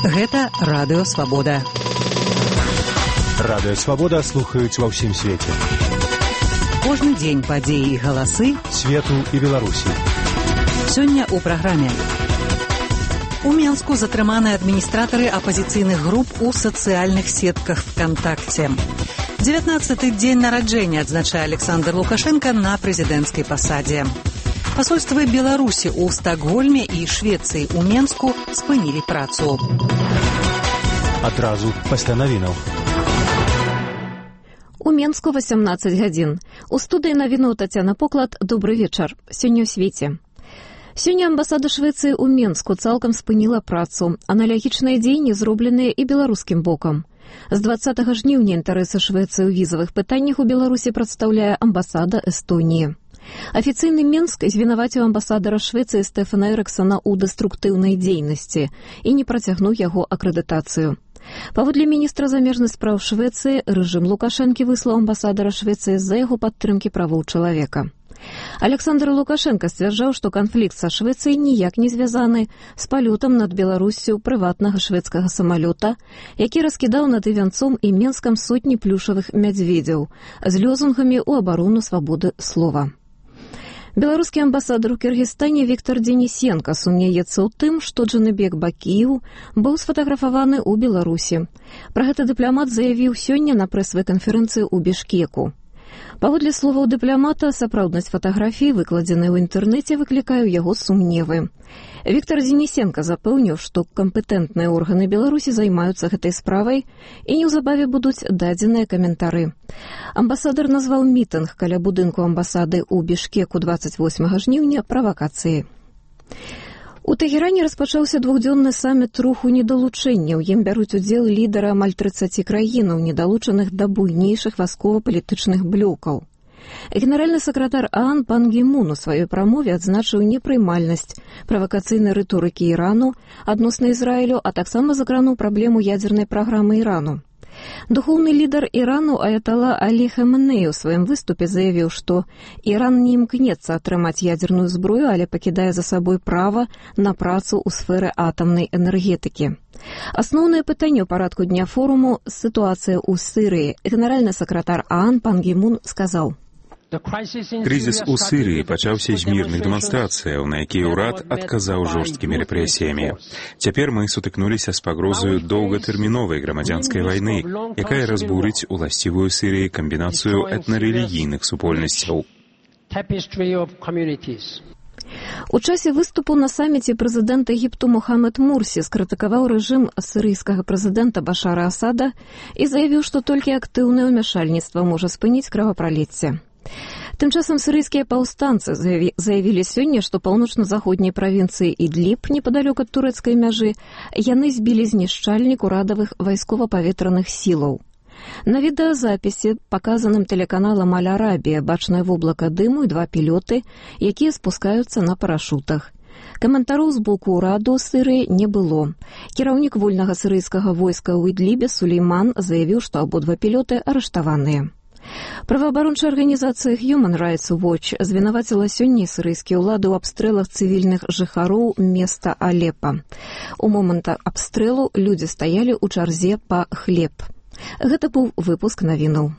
Гэта Радыё Свабода. Радыё Свабода слухаюць ва ўсім свеце. Кожны дзень падзеі і галасы свету і Беларусі. Сёння ў праграме. У Менску затрыманы адміністратары апазіцыйных груп у сацыяльных сетках ВКонтакте. 19-й дзень нараджэння адзначае Александр Лукашенко на прэзідэнцкай пасадзе. Пасольствы Беларусі ў Стакгольме і Швецыі ў Менску спынілі працу. Адразу пасля навінаў. У Менску 18 гадзін. У студыі навінаў Тацяна Поклад. Добры вечар. Сёння ў свеце. Сёння амбасада Швецыі ў Менску цалкам спыніла працу. Аналагічныя дзеянні зробленыя і беларускім бокам. З 20 жніўня інтарэсы Швецыі ў візавых пытаннях у Беларусі прадстаўляе амбасада Эстоніі. Афіцыйны Менск звінаваціў амбасадара Швецыі Стэфана Эрыксона ў дэструктыўнай дзейнасці і не працягнуў яго акрэдытацыю. Паводле міністра замежных спраў Швецыі, рэжым Лукашэнкі выслаў амбасадара Швецыі з-за яго падтрымкі правоў чалавека. Александр Лукашенко сцвярджаў, што канфлікт са Швецыяй ніяк не звязаны з палётам над Беларуссю прыватнага шведскага самалёта, які раскідаў над Івянцом і Менскам сотні плюшавых мядзведзяў з лёзунгамі ў абарону свабоды слова. Беларускі амбасадар у Кіргізстане Віктор Денісенка сумнеецца ў тым, што Джаныбек Бакіеў быў сфатаграфаваны ў Беларусі. Пра гэта дыпламат заявіў сёння на прэсавай канферэнцыі ў Бішкеку. Паводле словаў дыпламата, сапраўднасць фатаграфій, выкладзенай у інтэрнэце, выклікае ў яго сумневы. Віктор Денісенка запэўніў, што кампетэнтныя органы Беларусі займаюцца гэтай справай і неўзабаве будуць дадзеныя каментары. Амбасадар назваў мітынг каля будынку амбасады ў Бішкеку 28 жніўня правакацыяй. У Тэгеране распачаўся двухдзённы саміт руху недалучэння. У ім бяруць удзел лідары амаль 30 краінаў, недалучаных да буйнейшых вайскова-палітычных блокаў. Генеральны сакратар ААН Пан Гі Мун у сваёй прамове адзначыў непрымальнасць правакацыйнай рыторыкі Ірану адносна Ізраілю, а таксама закрануў праблему ядзернай праграмы Ірану. Духоўны лідар Ірану аятала Алі Хаменеі ў сваім выступе заявіў, што Іран не імкнецца атрымаць ядзерную зброю, але пакідае за сабой права на працу ў сферы атамнай энергетыкі. Асноўнае пытанне ў парадку дня форуму – сітуацыя ў Сірыі. Генеральны сакратар ААН Пан Гі Мун сказаў: Крызіс у Сірыі пачаўся з мірных дэманстрацыяў, на якія ўрад адказаў жорсткімі рэпрэсіямі. Цяпер мы сутыкнуліся з пагрозаю доўгатэрміновай грамадзянскай вайны, якая разбурыць уласцівую Сірыі камбінацыю этнарэлігійных супольнасцяў. У часе выступу на саміце прэзідэнт Егіпту Мухаммед Мурсі скрытыкаваў рэжым сірыйскага прэзідэнта Башара Асада і заявіў, што толькі актыўнае ўмяшальніцтва можа спыніць кровапраліцце. Тым часам сірыйскія паўстанцы заявілі сёння, што паўночна-заходняй правінцыі Ідліб, непадалёк ад турэцкай мяжы, яны збілі знішчальнік урадавых вайскова-паветраных сілаў. На відэазапісе, паказаным тэлеканалам Аль-Арабія, бачнае воблака дыму і два пілёты, якія спускаюцца на парашутах. Каментароў з боку ўраду Сірыі не было. Кіраўнік вольнага сірыйскага войска ў Ідлібе Сулейман заявіў, што абодва пілёты арыштаваныя. Праваабарончая арганізацыя Human Rights Watch звінаваціла сёння сірыйскія ўлады ў абстрэлах цывільных жыхароў места Алепа. У момант абстрэлу людзі стаялі ў чарзе па хлеб. Гэта быў выпуск навінаў.